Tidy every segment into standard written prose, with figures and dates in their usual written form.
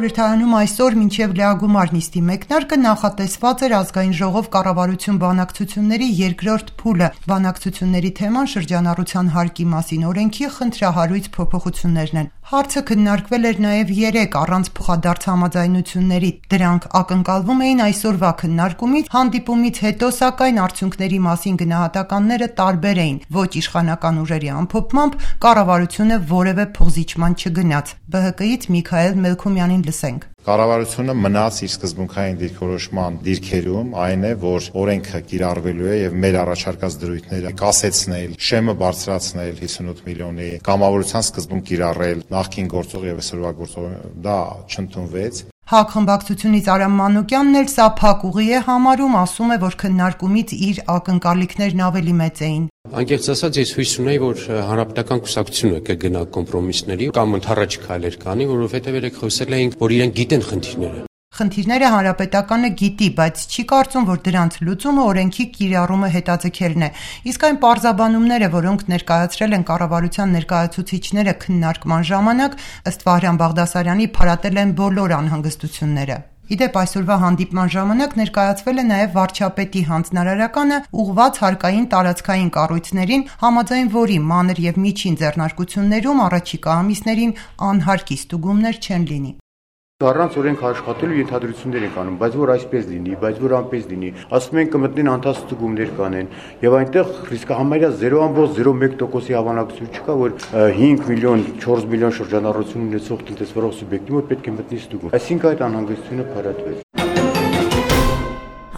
խորհրդարանում այսօր մինչև լիագումար նիստի մեկնարկը նախատեսված էր ազգային ժողով կառավարություն բանակցությունների երկրորդ փուլը։ Բանակցությունների թեման շրջանառության հարկի մասին օրենքի խնդրահարույց փոփոխություններն են։ Հարցը քննարկվել էր նաև 3 առանց փոխադարձ համաձայնությունների։ Դրանք ակնկալվում էին այսօրվա քննարկումից, հանդիպումից հետո սակայն արդյունքների մասին գնահատականները տարբեր էին։ Ոչ իշխանական ուժերի ամփոփմամբ կառավարությունը որևէ փոխզիջման չգնաց։ ԲՀԿ-ից Միքայել Մելքումյանին լսենք։ Կառավարությունը մնաց իր սկզբունքային դիրքորոշման դիրքերում, այն է, որ օրենքը կիրառվելու է եւ մեր առաջարկած դրույթները կասեցնել, շեմը բարձրացնել 58 միլիոնի, կամավորության սկզբունք կիրառել նախկին գործող եւ այսօրվա գործող, դա չընդունվեց։ ՀԱԿ խմբակցությունից Արամ Մանուկյանն էլ սա փակ ուղի է համարում, ասում է, որ քննարկումից իր ակնկալիքներն ավելի մեծ էին։ Անկեղծ ասած, ես հույս ունեի, որ հանրապետական կուսակցությունը կգնա կոմպրոմիսների կամ ընդառաջ քայլեր կանի, որովհետև երեք խոսել էինք, որ իրենք գիտեն խնդիրները։ Խնդիրները հանրապետականը գիտի, բայց չի կարծում, որ դրանց լուծումը օրենքի կիրառումը հետաձգելն է։ Իսկ այն պարզաբանումները, որոնք ներկայացրել են կառավարության ներկայացուցիչները քննարկման ժամանակ, ըստ Վահրամ Բաղդասարյանի, փարատել են բոլոր անհանգստությունները։ Իդեպ այսօրվա հանդիպման ժամանակ ներկայացվել է նաև վարչապետի հանձնարարականը ուղղված հարկային տարածքային կառույցներին, համաձայն որի մանր եւ միջին ձեռնարկություններում առաջիկա ամիսներին անհարկի ստուգումներ չեն լինի։ Առանց օրենք աշխատելու ենթադրություններ են անում, բայց որ այսպես լինի, բայց որ անպես լինի, ասում են կմտնեն անտասստուգումներ կանեն, եւ այնտեղ ռիսկը համարյա 0.01%-ի հավանականություն չկա, որ 5 միլիոն, 4 միլիոն շրջանառություն ունեցող տնտեսվարող սուբյեկտի մոտ պետք է մտնի ստուգում։ Այսինքն այդ անհանգստությունը փարատվեց։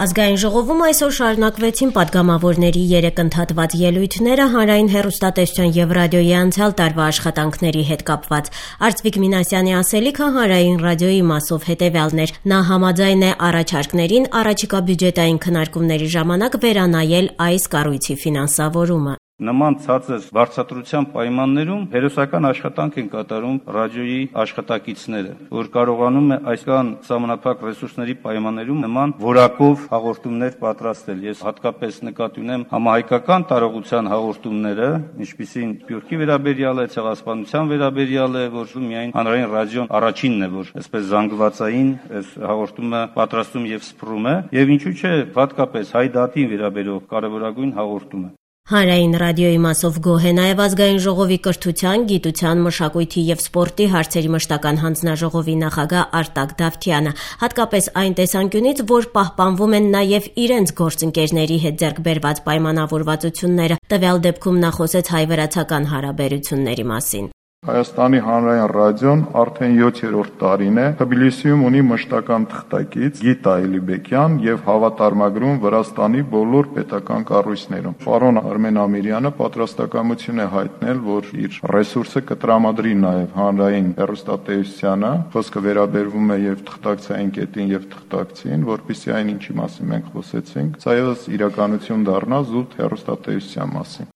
Ազգային ժողովում այսօր շարունակվեցին падգամավորների 3 ընդհատված ելույթները հանրային հեռուստատեսության եւ ռադիոյի անցյալ տարվա աշխատանքների հետ կապված։ Արծվիկ Մինասյանի ասելիքը հանրային ռադիոյի մասով հետեւյալն էր։ Նա համաձայն է առաջարկներին առաջիկա բյուջետային քննարկումների ժամանակ վերանայել այս կառույցի ֆինանսավորումը։ Նման ցածր վարձատրության պայմաններում հերոսական աշխատանք են կատարում ռադիոյի աշխատակիցները, որ կարողանում է այսքան սահմանափակ ռեսուրսների պայմաններում նման որակով հաղորդումներ պատրաստել։ Ես հատկապես նկատի ունեմ համահայկական տարողության հաղորդումները, ինչպիսին Սփյուռքի վերաբերյալ է, ցեղասպանության վերաբերյալ է, որ միայն հանրային ռադիոն առաջինն է, որ այսպես զանգվածային այս հաղորդումը պատրաստում եւ սփռում է, եւ ինչու՞ չէ, հատկապես հայ դատին վերաբերող կարևորագույն հաղորդումը։ Հանրային ռադիոյի մասով գոհ է նաև ազգային ժողովի կրթության, գիտության, մշակույթի եւ սպորտի հարցերի մշտական հանձնաժողովի նախագահ Արտակ Դավթյանը, հատկապես այն տեսանկյունից, որ պահպանվում են նաև իրենց գործընկերների հետ ձեռք բերված պայմանավորվածությունները, տվյալ դեպքում նա խոսեց հայ-վրացական հարաբերությունների մասին։ Հայաստանի հանրային ռադիոն արդեն 7-րդ տարին է Թբիլիսիում ունի մշտական թղթակից Գիտա Էլիբեկյան եւ հավատարմագրում Վրաստանի բոլոր պետական կառույցներում։ Պարոն Արմեն Ամիրյանը պատրաստակամություն է հայտնել, որ իր ռեսուրսը կտրամադրի նաեւ հանրային հեռուստատեսությանը, խոսքը վերաբերվում է եւ թղթակցային կետին եւ թղթակցին, որpիսի այն ինչի մասին մենք խոսեցինք, սա եւս իրականություն դառնա զուտ հեռուստատեսության մասին։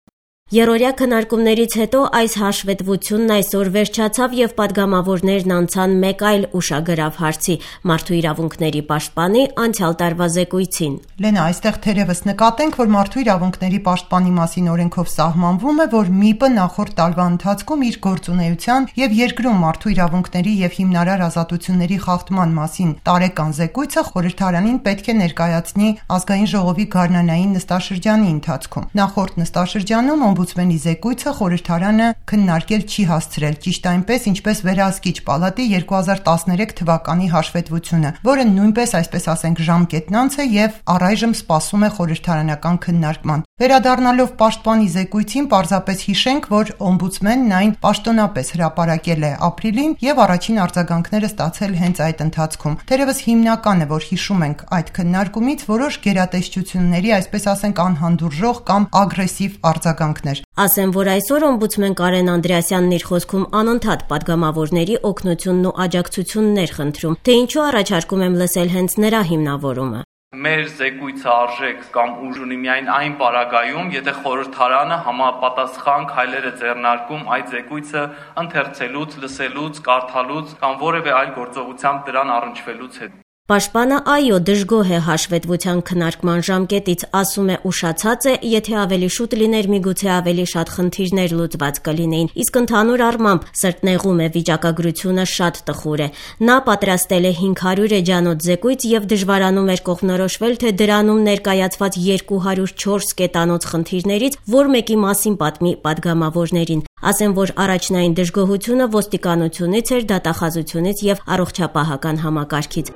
Երորյա քննարկումներից հետո այս հաշվետվությունն այսօր վերջացավ եւ падգամավորներն անցան մեկ այլ ուշագրավ հարցի՝ մարդու իրավունքների պաշտպանի անցյալ տարվա զեկույցին։ Լենա, այստեղ թերևս նկատենք, որ մարդու իրավունքների պաշտպանի մասին օրենքով սահմանվում է, որ ՄԻՊ-ը նախորդ տարվա ընթացքում իր գործունեության եւ երկրում մարդու իրավունքների եւ հիմնարար ազատությունների խախտման մասին տարեկան զեկույցը խորհրդարանին պետք է ներկայացնի ազգային ժողովի գարնանային նստաշրջանի ընթացքում։ Նախորդ նստաշրջանում Օմբուդսմենի զեկույցը խորհրդարանը քննարկել չի հասցրել, ճիշտ այնպես, ինչպես Վերահսկիչ պալատի 2013 թվականի հաշվետվությունը, որը նույնպես, այսպես ասենք, ժամկետնանց է եւ առայժմ սպասում է խորհրդարանական քննարկման։ Վերադառնալով պաշտպանի զեկույցին, պարզապես հիշենք, որ օմբուդսմենն այն պաշտոնապես հրապարակել է ապրիլին եւ առաջին արձագանքները ստացել հենց այդ ընթացքում։ Թերևս հիմնական է, որ հիշում ենք այդ քննարկումից որոշ գերատեսչությունների, այսպես ասենք, անհանդուրժող կամ ագրեսիվ արձագանքներ։ Ասեմ, որ այսօր օմբուդսմեն Կարեն Անդրեասյանն իր խոսքում անընդհատ падգամավորների օգնությունն ու աջակցություններ խնդրում, թե ինչու առաջարկում եմ լսել հենց նրա հիմնավորումը։ Մեր զեկույցը արժեք կամ ուժ ունի միայն այն պարագայում, եթե խորհրդարանը համապատասխան քայլեր է ձեռնարկում այդ զեկույցը ընթերցելուց, լսելուց, կարդալուց կամ որևէ այլ գործողությամբ դրան առնչվելուց հետո։ Պաշտպանը այո դժգոհ է հաշվետվության քննարկման ժամկետից, ասում է ուշացած է, եթե ավելի շուտ լիներ միգուցե ավելի շատ խնդիրներ լուծված կլինեին, իսկ ընդհանուր առմամբ սրտնեղում է վիճակագրությունը շատ տխուր է։ Նա պատրաստել է 500 էջանոց զեկույց եւ դժվարանում էր կողմնորոշվել, թե դրանում ներկայացված 204 կետանոց խնդիրներից որ մեկի մասին պատմի պատգամավորներին։ Ասեմ, որ առաջնային դժգոհությունը ոստիկանությունից էր, դատախազությունից եւ առողջապահական համակարգից։